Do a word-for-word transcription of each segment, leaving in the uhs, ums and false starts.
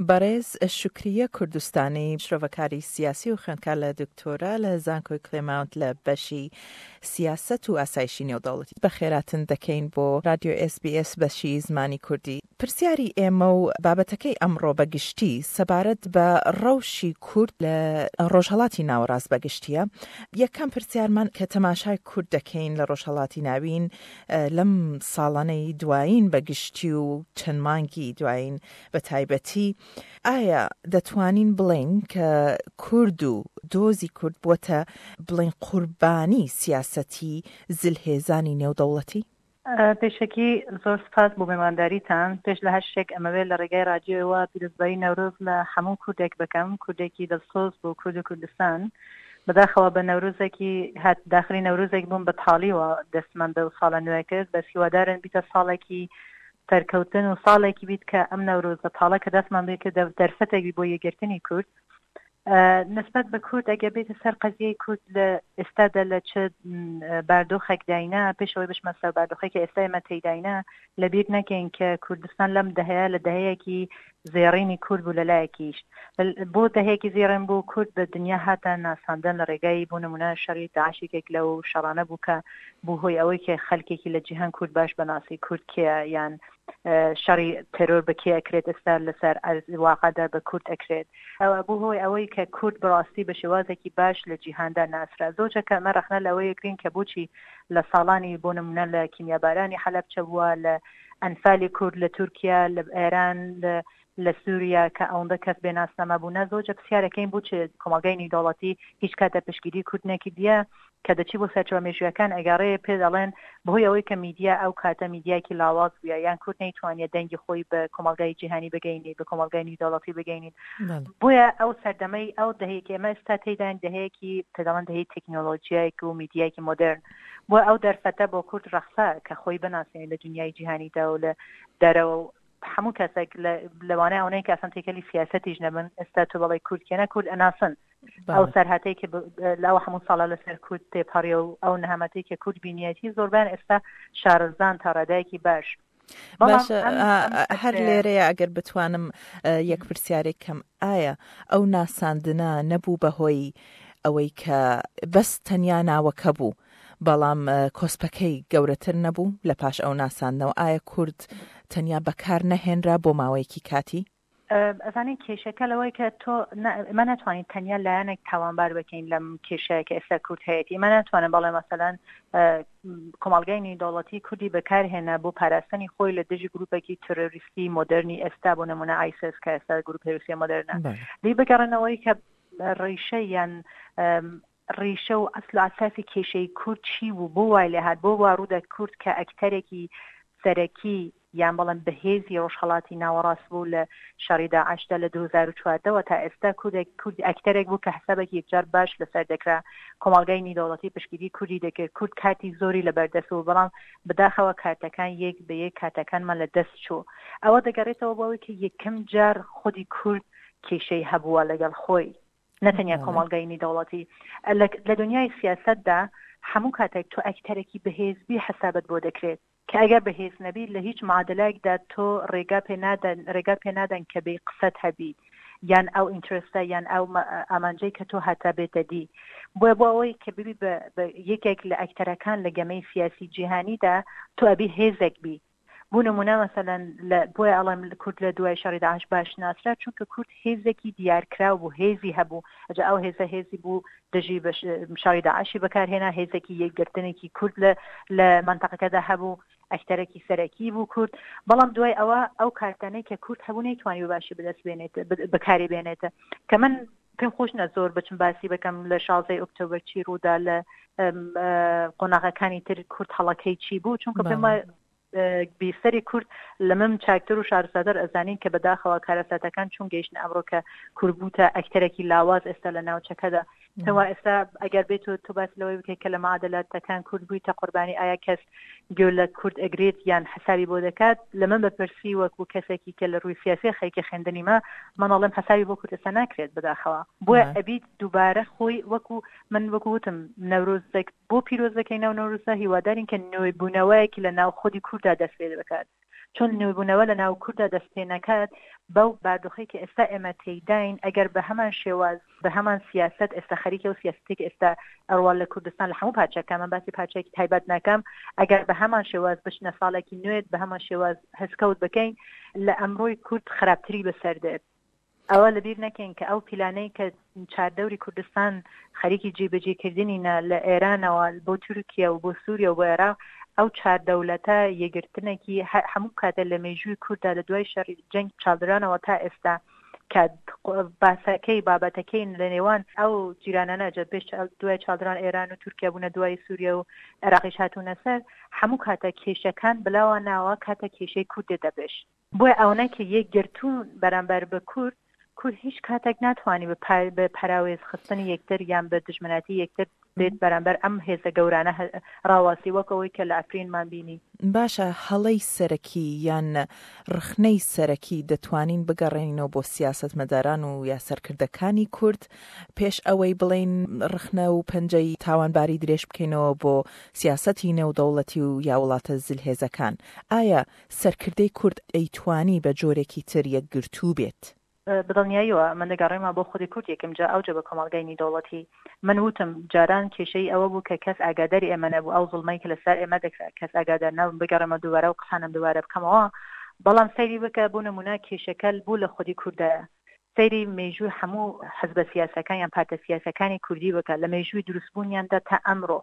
بەڕێز شوکریە کوردستانی، شرۆڤەکاری سیاسی و خوێندکار لە دکتۆرا لە زانکۆی کلێماونت لە بەشی سیاسەت و ئاسایشی نێودەوڵەتی، بەخێراتن دەکەین بۆ رادیۆ ئێس بی ئێس بەشی زمانی کوردی. پرسیاری ئێمە و بابەتەکەی ئەمڕۆ بە گشتی سەبارەت بە ڕەوشی کورد لە ڕۆژهەڵاتی ناوەڕاست بە گشتییە. یەکەم پرسیارمان کە تەماشای کورد دەکەین لە ڕۆژهەڵاتی ناوین لەم ساڵانەی دوایین بە گشتی و چەند مانگی دوایین بە تایبەتی، ئایا دەتوانین بڵێین کە کورد و دۆزی کورد بووەتە بڵێین قوربانی سیاسەتی زلهێزانی نێودەوڵەتی؟ پێشەکی زۆر سپاس بۆ مێوانداریتان. پێش لە هەر شتێک ئەمەوێت لە ڕێگای ڕادیۆوە پیرۆزبایی نەورۆز لە هەموو کوردێک بکەم، کوردێکی دڵسۆز بۆ کورد و کوردستان. بەداخەوە بە نەورۆزێکی هات داخلی نەورۆزێک بووم بە تاڵیوە دەستمان بەو ساڵە نوێ کرد، بەس هیوادارن بیتە ساڵێکی سەرکەوتن و ساڵێکی بیت کە ئەم نەورۆزە تاڵە کە دەستمان بێ کرد دەرفەتێک بی بۆ یەکگرتنی کورد. نسبەت بە کورد ئەگەر بێتە سەر قەزیەی کورد لە ئێستادا لە چ باردۆخێک داینا، پێش ئەوەی بچمە سەر باردۆخێک کە ئێستا ئێمە تێیداینا، لەبیر نەکەین کە کوردستان لەم دەهەیە لە دەهەیەکی زێڕینی کورد بوو. لەلایەکیش بۆ دەهەیەکی زێڕین بوو، کورد بە دنیا هاتە ناساندن لە ڕێگای بۆ نمونە شەڕی داعش یەکێک لەو شەڕانە بوو کە بوو هۆی ئەوەی کە خەلکێکی لە جیهان کورد باش بەناسی کورد کێیە، یان شەڕی تێرۆر بە کێ ئەکرێت ئێستا لەسەر ئەرز واقعدا بە کورد ئەکرێت. ئەوە بوو هۆی ئەوەی کە کورد بەڕاستی بە شێوازێکی باش لە جیهاندا ناسرا. زۆر کە ئەمە ڕەخنە لەوەیە گرین کە بۆچی لە ساڵانی بۆ نمونە لە کیمیابارانی حەلەبچە بووە، لە ئەنفالی کورد لە تورکیا، لە ئێران، لە لە سووریا کە ئەوەندە کەس بێ ناسنامە بوونە، زۆر جار پرسیارەکەین بۆچی کۆمەڵگای نێودەوڵەتی هیچ کاتە پشتگیری کورد نەکردیە. کە دەچی بۆ سەرچاوە مێژوویەکان ئەگەڕێ پێ دەڵێن بەهۆی ئەوەی کە میدیا ئەو کاتە میدیایەکی لاواز بووە، یان کورد نەیتوانیە دەنگی خۆی بە کۆمەڵگای جیهانی بگەینیت، بە کۆمەڵگای نێودەوڵەتی بگەینیت. بۆیە ئەو سەردەمەی ئەو دەهەیەکی ئێمە ئێستا تێیداین دەهەیەکی پێ دەڵێن دەهەی تەکنۆلۆژیایەک و میدیایەکی مۆدێرن، بۆ ئەو دەرفەتە بۆ کورد ڕەخسا کە خۆی بناسێنێت لە دنیای جیهانیدا و لە دەرەوە و هەموو کەسێک لەوانەیە ئەوەی کە ئەسڵەن تێکەلی سیاسەتیش نەبن ئێستا تۆ بەڵێ کورد کێنە کورد ئەناسن. ئەو سەرهاتەی کە لەو هەموو ساڵە لەسەر کورد تێپەڕیە و ئەو نەهامەتەی کە کورد بینیەتی زۆربیان ئێستا شارەزان تا ڕادەیەکی باش. باشە هەر لێرەیە ئەگەر بتوانم یەک پرسیارێک کەم، ئایا ئەو ناساندنە نەبوو بەهۆی ئەوەی کە بەس تەنیا ناوەکە بوو بەڵام کۆسپەکەی گەورەتر نەبوو لە پاش ئەو ناساندنەوە؟ ئایا کورد تەنیا بەکار نەهێنرا بۆ ماوەیەکی کاتی؟ ئەزانی کێشەکە لەوەی کە تۆ ئێمە ناتوانین تەنیا لایەنێک تاوانبار بکەین لەم کێشەیە کە ئێستا کورد هەیەتی. ئێمە ناتوانن بەڵێ مەسەلەن کۆمەڵگای نێودەوڵەتی کوردی بەکارهێنا بۆ پاراستنی خۆی لە دژی گروپێکی ترۆریستی مۆدرنی ئێستا، بۆ نمونە ئایسس کە ئێستا گروپ ترۆریستی مۆدرنە. لی بگەڕێنەوەی کە ڕیشە یان ڕیشە و ئەسل و ئەساسی کێشەی کورد چی بوو، بۆ وای لێهات، بۆ وا ڕوودا کورد کە ئەکتەرێکی سەرەکی یان بەڵێن بەهێزی ڕۆژهەڵاتی ناوەڕاست بوو لە شەڕی داعشدا لە دوو هەزار و چواردە وە تا ئێستا کوردێک کورد ئەکتەرێک بوو کە حسابێکی یەکجار باش لەسەر دەکرا، کۆمەڵگای نیودەوڵەتی پشتگیری کوردی دەکرد، کورد کارتی زۆری لەبەردەست بوو، بەڵام بەداخەوە کارتەکان یەک بە یەک کارتەکانمان لە دەست چوو. ئەوە دەگەڕێتەوە بۆ ئەوەی کە یەکەم جار خودی کورد کێشەی هەبووە لەگەڵ خۆی، نەتەنیا کۆمەڵگای نیودەوڵەتی. لە دنیای سیاسەتدا هەموو کاتێک تۆ ئەکتەرێکی بەهێز بی حسابت بۆ دەکرێت، کە ئەگەر بەهێز نەبی لە هیچ معادلایەکدا تۆ ڕێگا پێ نادەن ڕێگا پێ نادەن کە بێ قسەت هەبی یان ئەو ئینترستە یان ئەو ئامانجەی کە تۆ هەتا بێتە دی. بۆیە بۆ ئەوەی کە ببی بە یەکێک لە ئەکتەرەکان لە گەمەی سیاسی جیهانیدا تۆ ئەبی هێزێک بی. بۆ نمونە مەسەلەن لە بۆیە ئەڵێم کورد لە دوای شەڕی داعش باش ناسرا، چونکە کورد هێزێکی دیارکراو بوو، هێزی هەبوو، ئەجا ئەو هێزە هێزی بوو دژی بە شەڕی داعشی بەکارهێنا، هێزێکی یەکگرتنێکی کورد لە لە مەنتەقەکەدا هەبوو، ئەکتەرێکی سەرەکی بوو کورد. بەڵام دوای ئەوە ئەو کارتانەی کە کورد هەبوو نەیتوانی بە باشی بەدەست بێنێت، بەکاری بێنێت. کە من پێم خۆش نە زۆر بچم باسی بکەم لە شازدەی ئۆکتۆبەر چی ڕوودا، لە قۆناغەکانی تر کورد هەڵەکەی چی بوو، چونکە پێم وایە بیسەری کورد لە من چاکتر و شارستاتر ئەزانین کە بەداخەوە کارەساتەکان چون گەیشتن ئەمڕۆ کە کورد بووتە ئەکتەرێکی لاواز ئێستا لە ناوچەکەدا. پێم ئێستا ئەگەر بێت و تۆ باس لەوەی بکەیت کە لە معادلاتەکان کورد بوویتە قوربانی، ئایا کەس گوێ لە کورد ئەگرێت یان حسابی بۆ دەکات؟ لە من بەپرسی وەکو کەسێکی کە لە ڕووی سیاسی خەریکی خوێندنیمە، من ئەڵێم حسابی بۆ کورد ئێستا ناکرێت بەداخەوە. بۆیە ئەبیت دووبارە خۆی وەکو من وەکو وتم نەورۆزێک بۆ پیرۆز دەکەین، ناو نەورۆزە هیوادارین کە نوێبوونەوەیەکی لە ناو خودی کورددا دەست پێ بکات. چون نوێبوونەوە لە ناو کورددا دەست پێ نەکات بەو باردۆخەی کە ئێستا ئێمە تێیداین، ئەگەر بە هەمان شێواز بە هەمان سیاسەت ئێستا خەریکە و سیاسەتێک ئێستا ئەڕوا لە کوردستان لە هەموو پارچەکان، من باسی پارچەیەکی تایبەت ناکەم، ئەگەر بە هەمان شێواز بچنە ساڵێکی نوێ بە هەمان شێواز هەسکەوت بکەین، لە ئەمڕۆی کورد خراپتری بەسەر دێت. ئەوە لەبیر نەکەین کە ئەو پیلانەی کە چاردەوری کوردستان خەریکی جێبەجێکردنینە لە ئێرانەوە بۆ تورکیا و بۆ سووریا و بۆ عێراق، ئەو چار دەولەتە یەکگرتنێکی هەموو کاتە لە مێژووی کورددا لە دوای شەڕی جەنگ چاڵدرانەوە تا ئێستا کە باسەکەی بابەتەکەی لە نێوان ئەو جیرانانە جا پێش دوای چاڵدران ئێران و تورکیا بوونە، دوای سووریا و عێراقیش هاتوونە سەر، هەموو کاتە کێشەکان بلاوە ناوە کاتە کێشەی کورد دێتە پێش. بۆیە ئەوەنە کە یەکگرتوون بەرامبەر بە کورد، کورد هیچ کاتێک ناتوانانی بە پەراوێز خستنی یەکتر یان بە دژمناتی یەکتر بێت بەرامبەر ئەم هێزە گەورانە ڕاواسی، وەک ئەوەی کە لە ئەفرینمان بینی. باشە، هەڵەی سەرەکی یان ڕخنەی سەرەکی دەتوانین بگەڕێنینەوە بۆ سیاسەتمەداران و یا سەرکردەکانی کورد پێش ئەوەی بڵێین ڕخنە و پەنجەی تاوانباری درێژ بکەینەوە بۆ سیاسەتی نێودەوڵەتی و یا وڵاتە زلهێزەکان؟ ئایا سەرکردەی کورد ئەیتوانی بە جۆرێکی تر یەکگرتوو بێت؟ بەدڵنیاییەوە من دەگەڕێمە بۆ خودی کورد یەکەم جا ئەوجە بە کۆمەڵگای نیودەوڵەتی. من وتم جاران کێشەی ئەوە بوو کە کەس ئاگاداری ئێمە نەبوو، ئەو زوڵمەی کە لەسەر ئێمە دەکرا کەس ئاگادار نەبوو. بگەڕێمە دووبارە و قسانم دووبارە بکەمەوە، بەڵام سەیری بکە بۆ نمونە کێشەکە بوو لە خودی کوردایە. سەیری مێژووی هەموو حزبە سیاسەکان یان پارتە سیاسەکانی کوردی بکە لە مێژووی دروستبوونیاندا تا ئەمڕۆ،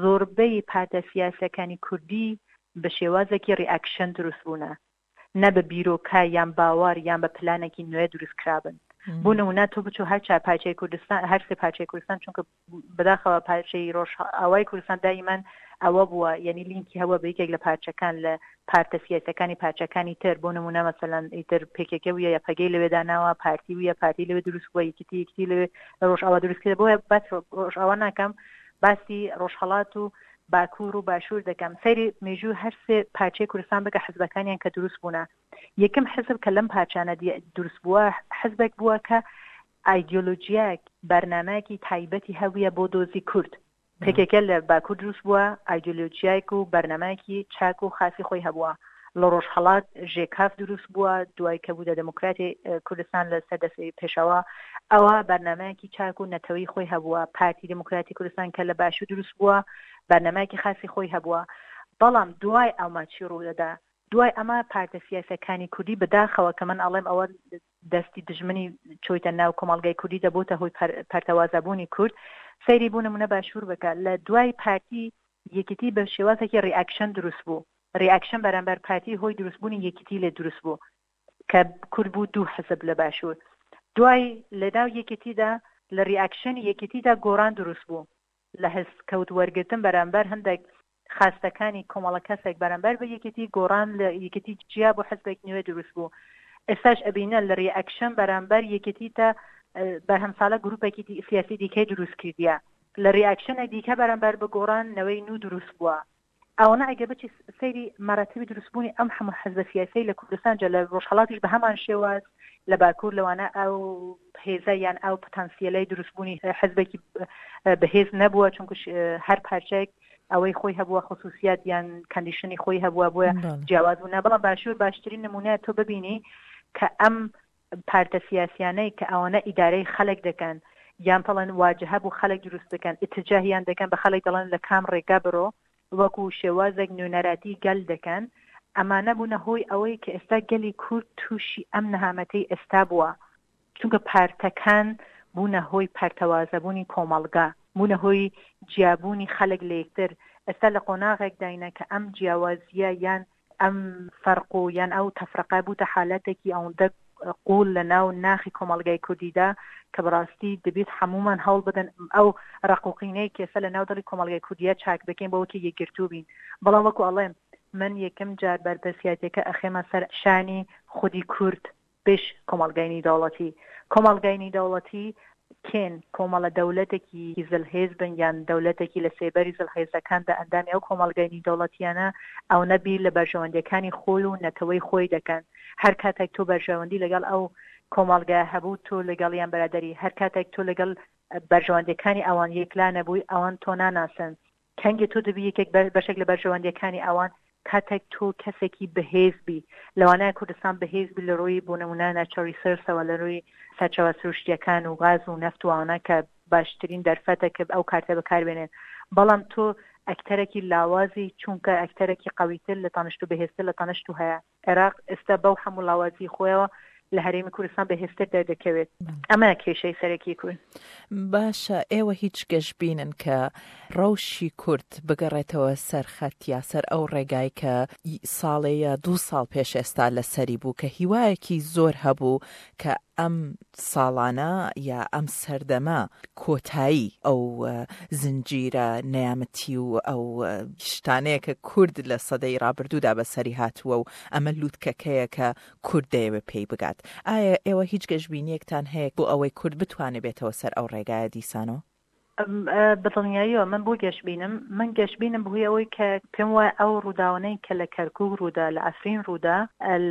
زۆربەی پارتە سیاسەکانی کوردی بە شێوازێکی reaction دروست بوونە، نە بە بیرۆکە یان باوەڕ یان بە پلانێکی نوێ دروست کرابن. بۆ نمونە تۆ بچۆ هەر چوار پارچەی کوردستان، هەر سێ پارچەی کوردستان، چونکە بەداخەوە پارچەی ڕۆژئاوای کوردستان دائیمەن ئەوە بووە، یعنی لینکی هەبووە بە یەکێک لە پارچەکان لە پارتە سیاسەکانی پارچەکانی تر. بۆ نمونە مەسەلەن ئیتر پێکێکە بووە یا پەگەی لەوێ داناوە، پارتی بووە، پارتی لەوێ دروست بووە، یەکێتی یەکێتی لەوێ لە ڕۆژئاوا دروست کرد. بۆیە باس ڕۆژئاوا ناکەم، باسی ڕۆژهەڵات و باکوور و باشوور دەکەم. سەیری مێژوو هەر سێ پارچەی کوردستان بکە، حزبەکانیان کە دروست بوونە، یەکەم حزب کە لەم پارچانە دروست بووە حزبێک بووە کە ئایدیۆلۆژیایەک بەرنامەیەکی تایبەتی هەبووە بۆ دۆزی کورد. پێکێکە لە باکوور دروست بووە، ئایدیۆلۆژیایەک و بەرنامەیەکی چاک و خاصی خۆی هەبووە. لە ڕۆژهەڵات ژێکاف دروست بووە دوای کە بوو دێموکراتی کوردستان لە سەر دەستی پێشەوە، ئەوە بەرنامەیەکی چاک و نەتەوەی خۆی هەبووە. پارتی دێموکراتی کوردستان کە لە باشوور دروست بووە بەرنامەیەکی خاصی خۆی هەبووە. بەڵام دوای ئەمە چی ڕوودەدا؟ دوای ئەمە پارتە سیاسەکانی کوردی بەداخەوە کە من ئەڵێم ئەوە دەستی دژمنی چۆیتە ناو کۆمەڵگای کوردی دەبووتە هۆی پەرتەوازەبوونی کورد. سەیری بوو نمونە باشوور بکە، لە دوای پارتی یەکێتی بە شێوازێکی reaction دروست بوو. reaction بەرامبەر پارتی هۆی دروستبوونی یەکێتی لێ دروست بوو کە کورد بوو دوو حزب لە باشوور. دوای لەناو یەکێتیدا لە reaction ی یەکێتیدا گۆڕان دروست بوو لە هەست کەوت وەرگرتن بەرامبەر هەندێک خاستەکانی کۆمەڵە کەسێک بەرامبەر بە یەکێتی، گۆڕان لە یەکێتی جیا بۆ حزبێک نوێ دروست بوو. ئێستاش ئەبینە لە reaction بەرامبەر یەکێتی تا بەرهەم ساڵە گروپێکی سیاسی دیکەی دروست کردیە، لە reaction ە دیکە بەرامبەر بە گۆڕان نەوەی نوو دروست بووە. ئەوەنە ئەگەر بچی سەیری مەراتبی دروستبوونی ئەم هەموو حزبە سیاسی لە کوردستان، جا لە ڕۆژهەڵاتیش بە هەمان شێواز، لە باکوور لەوانە ئەو هێزە یان ئەو پتانسیەلەی دروستبوونی حزبێکی بەهێز نەبووە، چونکە هەر پارچەیەک ئەوەی خۆی هەبووە، خصوصیات یان condition ی خۆی هەبووە، بۆیە جیاواز بوو. بەڵام باشوور باشترین نمونە تۆ ببینی کە ئەم پارتە سیاسیانەی کە ئەوانە ئیدارەی خەلک دەکەن یان پڵەن واجهە بوو خەلک دروست دەکەن، اتجاهیان دەکەن بە خەلک دەڵێن لە کام ڕێگا بڕۆ، وەکو شێوازێک نوێنەراتی گەل دەکەن، ئەمانە بوونە هۆی ئەوەی کە ئێستا گەلی کورد تووشی ئەم نەهامەتەی ئێستا بووە، چونکە پارتەکان بوونە هۆی پەرتەوازەبوونی کۆمەڵگا، بوونە هۆی جیابوونی خەلک لە یەکتر. ئێستا لە قۆناغێک داینە کە ئەم جیاوازیە یان ئەم فەرق و یان ئەو تەفرەقە بووتە حالەتێکی ئەوەندە قوڵ لە ناو ناخی کۆمەڵگای کوردیدا کە بەڕاستی دەبێت هەمومان هەوڵ بدەن ئەو ڕقوقینەی کێسە لە ناو دڵی کۆمەڵگای کوردیە چاک بکەین بۆ وەکی یەکگرتوو بین. بەڵام وەکو ئەڵێم من یەکەم جار بەرپرسیاتەکە ئەخێمە سەر شانی خودی کورد پێش کۆمەڵگای نیودەوڵەتی. کۆمەڵگای نیودەوڵەتی کێن؟ کۆمەڵە دەولەتێکی زلهێز بن یان دەولەتێکی لە سێبەری زلهێزەکاندا ئەندامی ئەو کۆمەڵگای نیودەوڵەتیانە، ئەو نەبیر لە بەرژەوەندیەکانی خۆی و نەتەوەی خۆی دەکەن. هەر کاتێک تۆ بەرژەوەندی لەگەڵ ئەو کۆمەڵگا هەبوو تۆ لەگەڵیان بەرادەری، هەر کاتێک تۆ لەگەڵ بەرژەوەندیەکانی ئەوان یەکلا نەبووی ئەوان تۆ ناناسن. کەنگێ تۆ دەبی یەکێک بەشێک لە بەرژەوەندیەکانی ئەوان، کاتێک تۆ کەسێکی بەهێز بی، لەوانەیە کوردستان بەهێز بی لە ڕووی بۆ نمونە natural resource ەوە، لە ڕووی سەرچاوە سروشتیەکان و غاز و نەفت و ئەوانە کە باشترین دەرفەتە کە ئەو کارتە بەکاربێنێن، بەڵام تۆ ئەکتەرێکی لاوازی، چونکە ئەکتەرێکی قویتر لە تانشت و بەهێزتر لە تانشت و هەیە. عێراق ئێستا بەو هەموو لاوازی خۆیەوە لە هەرێمی کوردستان بەهێزتر دەردەکەوێت. ئەمە کێشەی سەرەکی کورد. باشە، ئێوە هیچ گەشبینن کە ڕەوشی کورد بگەڕێتەوە سەر خەت یا سەر ئەو ڕێگای کە ساڵێ یا دوو ساڵ پێش ئێستا لەسەری بوو، کە هیوایەکی زۆر هەبوو کە ئەم ساڵانە یا ئەم سەردەمە کۆتایی ئەو زنجیرە نەیامەتی و ئەو شتانەیە کە کورد لە سەدەی ڕابردوودا بەسەری هاتووە و ئەمە لووتکەکەیە کە کورد دەیەوێت پێی بگات؟ ئایا ئێوە هیچ گەشبینیەکتان هەیە بۆ ئەوەی کورد بتوانێت بێتەوە سەر ئەو ڕێگایە دیسانەوە؟ بەدڵنیاییەوە من بۆ گەشبینم. من گەشبینم بەهۆی ئەوەی کە پێم وایە ئەو ڕووداوانەی کە لە کەرکوک ڕوودا، لە عەفرین ڕوودا،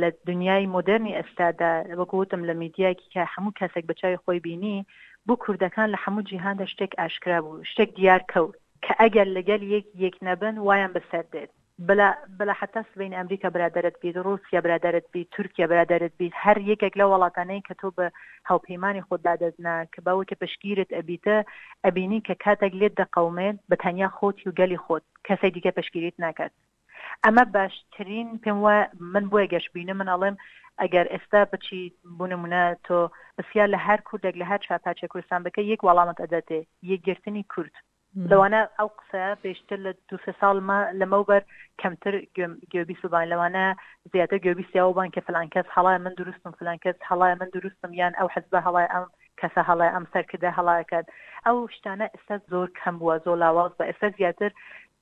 لە دنیای مۆدێرنی ئێستادا، وەکو وتم لە میدیایەکی کە هەموو کەسێک بە چاوی خۆی بینی، بۆ کوردەکان لە هەموو جیهاندا شتێک ئاشکرا بوو، شتێک دیار کەوت کە ئەگەر لەگەل یەک یەک نەبن وایان بەسەر دێت. بلا بلا حتا سبەینێ ئەمریکا برادەرت بیت، ڕووسیا برادەرت بیت، تورکیا برادەرت بیت، هەر یەکێک لەو وڵاتانەی کە تۆ بە هاوپەیمانی خۆت دادەزنا کە باوەی کە پشتگیرت ئەبیتە، ئەبینی کە کاتێک لێت دەقەومێت بە تەنیا خۆتی و گەلی خۆت، کەسێک دیکە پشتگیریت ناکات. ئەمە باشترین پێم وایە من بۆیە گەشبینم. من ئەڵێم ئەگەر ئێستا بچی بۆ نمونە تۆ پرسیار لە هەر کوردێک لە هەر چوار پارچەی کوردستان بکە، یەک وەڵامت ئەداتێ، یەکگرتنی کورد. لەوانە ئەو قسەیە پێشتر لە دوو سێ ساڵ لەمەوبەر کەمتر گوێبیست ببان، لەوانە زیاتر گوێبیستی ئەوە بان کە فلان کەس هەڵایە من دروستم، فلان کەس هەڵایە من دروستم، یان ئەو حزبە هەڵایە، ئەم کەسە هەڵایە، ئەم سەرکردە هەڵایەکات. ئەو شتانە ئێستا زۆر کەم بووە، زۆر لاواز بووە. ئێستا زیاتر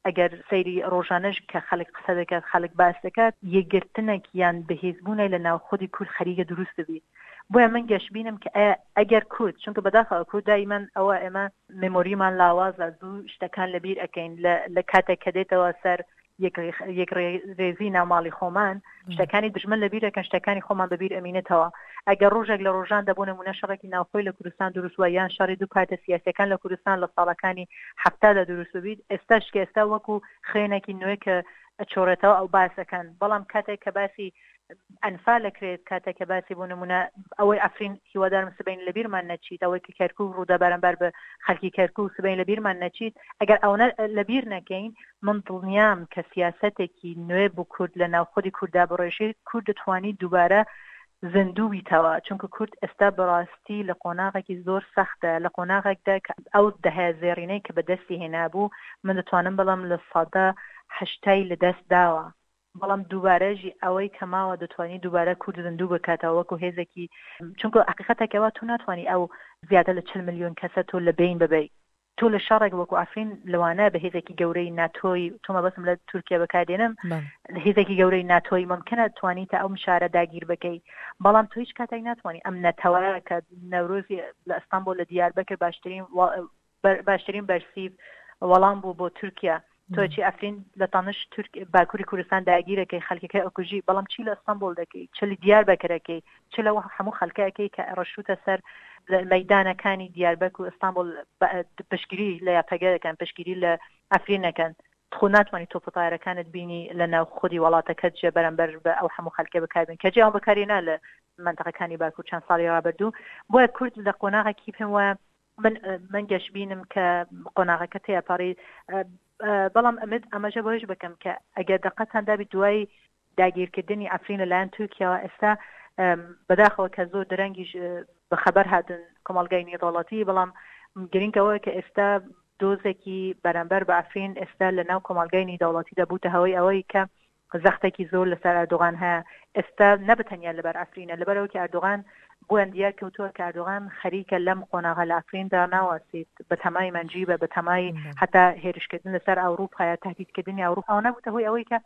ئەگەر سەیری ڕۆژانەش کە خەڵک قسە دەکات، خەڵک باس دەکات، یەکگرتنێک یان بەهێزبوونێک لە ناو خودی کورد خەریکە دروست دەبیت. بۆیە من گەشبینم کە ئەگەر کورد، چونکە بەداخەوە کورد دایمەن ئەوە ئێمە مێمۆریمان لاوازە، زوو شتەکان لەبیر ئەەکەین لە کاتێک کە دێتەوە سەر یەک ڕێزی ناو ماڵی خۆمان، شتەکانی دژمن لەبیر ئەکەن، شتەکانی خۆمان بەبیر ئەمینێتەوە. ئەگەر ڕۆژێک لە ڕۆژان دەبوو نمونە شەڕێکی ناوخۆی لە کوردستان دروست وە، یان شەڕی دوو پارتە سیاسیەکان لە کوردستان لە ساڵەکانی حەفتادا دروست ببیت، ئێستاش کە ئێستا وەکو خوێنێکی نوێ کە ئەچۆڕێتەوە ئەو باسەکەن. بەڵام کاتێک کە باسی ئەنفال ئەکرێت، کاتێک کە باسی بۆ نمونە ئەوەی عەفرین، هیوادارم سبەین لەبیرمان نەچیت، ئەوەی کە کەرکوک ڕوودا بەرامبەر بە خەڵکی کەرکوک سبەین لەبیرمان نەچیت، ئەگەر ئەوەنە لەبیر نەکەین، من دڵنیام کە سیاسەتێکی نوێ بۆ کورد لە ناوخودی کورددا بڕێژێت، کورد دەتوانی دووبارە زیندوو بیتەوە. چونکە کورد ئێستا بەڕاستی لە قۆناغێکی زۆر سەختە، لە قۆناغێکدا کە ئەو دەهەیە زێڕینەی کە بەدەستی هێنابوو، من دەتوانم بڵێم لە سەدا هەشتای لەدەست داوە. بەڵام دووبارەژی ئەوەی کە ماوە دەتوانی دووبارە کورد زیندوو بکاتەوە وەکو هێزێکی، چونکە حقیقەتێکەوە تۆ ناتوانی ئەو زیاتر لە چل ملیۆن کەسە تۆ لە بین ببەی. تۆ لە شەڕێک وەکو عەفرین لەوانە بە هێزێکی گەورەی ناتۆی، تۆ مەبەستم لە تورکیا بەکاردێنم، هێزێکی گەورەی ناتۆی ممکنە توانی تا ئەو شارە داگیر بکەی، بەڵام تۆ هیچ کاتێک ناتوانانی ئەم نەتەوە کە نەورۆزی لە ئەستانبۆل لە دیاربەکر باشترین باشترین بەرسیف وەڵام بوو بۆ تورکیا. تۆ چی ئەفرین لە تانش تورک باکووری کوردستان داگیرەکەی، خەڵکەکەی ئەکوژی، بەڵام چی لە ئەستانبۆل دەکەی، چ لە دیاربەکرەکەی، چ لەوە هەموو خەڵکەکەی کە ڕەشوتە سەر مەیدانەکانی دیاربەکر و ئەستانبۆل پشتگیری لە یاپەگە دەکەن، پشتگیری لە ئەفرین نەکەن. خۆ ناتوانانی تۆپ و تایرەکانت بینی لە ناو خودی وڵاتەکەت جێ بەرامبەر بە ئەو هەموو خەڵکە بەکاربێن کە جێ ئەو بەکاری نا لە منطقەکانی باکوور چەند ساڵی ڕابردوو. بۆیە کورد لە قۆناغێکی پێم وایە من من گەشبینم کە قۆناغەکە تێپەڕی. بەڵام ئەمت ئاماژە بەوەش بکەم کە ئەگەر دقەتان دابی دوای داگیرکردنی عەفرین لەلایەن تورکیاوە، ئێستا بەداخەوە کە زۆر درەنگیش بەخەبەر هاتن کۆمەڵگای نێودەوڵەتی، بەڵام گرنگ ئەوەیە کە ئێستا دۆزێکی بەرامبەر بە عەفرین ئێستا لە ناو کۆمەڵگای نێودەوڵەتیدا بووتە هەوەی ئەوەی کە زەختێکی زۆر لەسەر ئەردۆغان هەیە ئێستا، نە بەتەنیا لەبەر عەفرینە، لەبەرەوە کە ئەردۆغان بۆیان دیار کەوتووە کە ئەردۆغان خەریکە لەم قۆناغە لە عەفریندا ناوەستیت، بە تەمای مەنجیبە، بە تەمای حتا هێرشکردن لەسەر ئەوروپایە، تهدیدکردنی ئەوروپا. ئەوە نەبووتە هۆی ئەوەی کە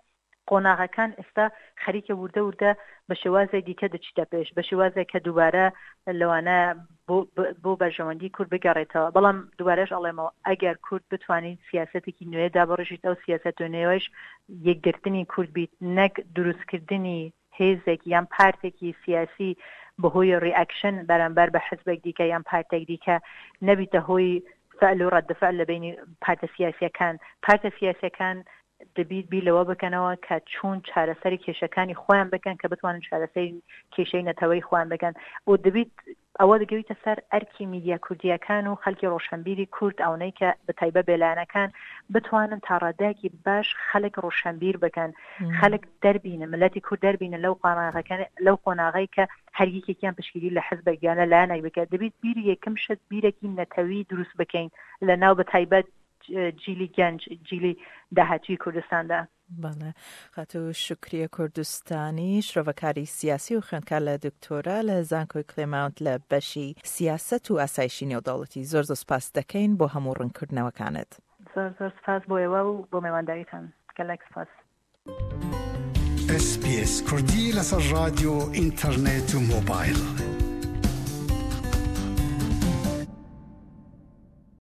قۆناغەکان ئێستا خەریکە وردە وردە بە شێوازێک دیکە دەچیتە پێش، بە شێوازێک کە دووبارە لەوانە بۆ بەرژەوەندی کورد بگەڕێتەوە. بەڵام دووبارەش ئەڵێمەوە ئەگەر کورد بتوانیت سیاسەتێکی نوێ دابڕێژیت، ئەو سیاسەت نوێش یەکگرتنی کورد بیت، نەک دروستکردنی هێزێک یان پارتێکی سیاسی بەهۆی reaction بەرامبەر بە حزبێک دیکە یان پارتێک دیکە، نەبیتە هۆی فعل و رد فعل لە بینی پارتە سیاسیەکان. پارتە سیاسیەکان دەبیت بیر لەوە بکەنەوە کە چۆن چارەسەری کێشەکانی خۆیان بکەن کە بتوانن چارەسەری کێشەی نەتەوەی خۆیان بکەن و دەبیت ئەوە دەگەویتە سەر ئەرکی میدیا کوردیەکان و خەلکی ڕۆشنبیری کورد، ئەوەی کە بە تایبەت بێلایەنەکان بتوانن تا ڕادەیەکی باش خەلک ڕۆشنبیر بکەن، خەلک دەربینن، ملەتی کورد دەربینن لەو قۆناغەکان، لەو قۆناغەی کە هەر یەکێکیان پشتگیری لە حزبێک یان لە لایەنێک بکات. دەبیت بیری یەکەم شت بیرێکی نەتەوی دروست بکەین لە ناو بە تایبەت جیلی گەنج، جیلی داهاتوی کوردستاندا. بەڵێ، خاتوو شوکریە کوردستانی، شرۆڤەکاری سیاسی و خوێندکار لە دکتۆرا لە زانکۆی کلێماونت لە بەشی سیاسەت و ئاسایشی نێودەوڵەتی، زۆر زۆر سپاس دەکەین بۆ هەموو ڕوونکردنەوەکانت. زۆر زۆر سپاس بۆ ئێوە و بۆ میوانداریتان، گەلێک سپاس. ئێس بی ئێس کوردی لەسەر ڕادیۆ، ئینتەرنێت و مۆبایل.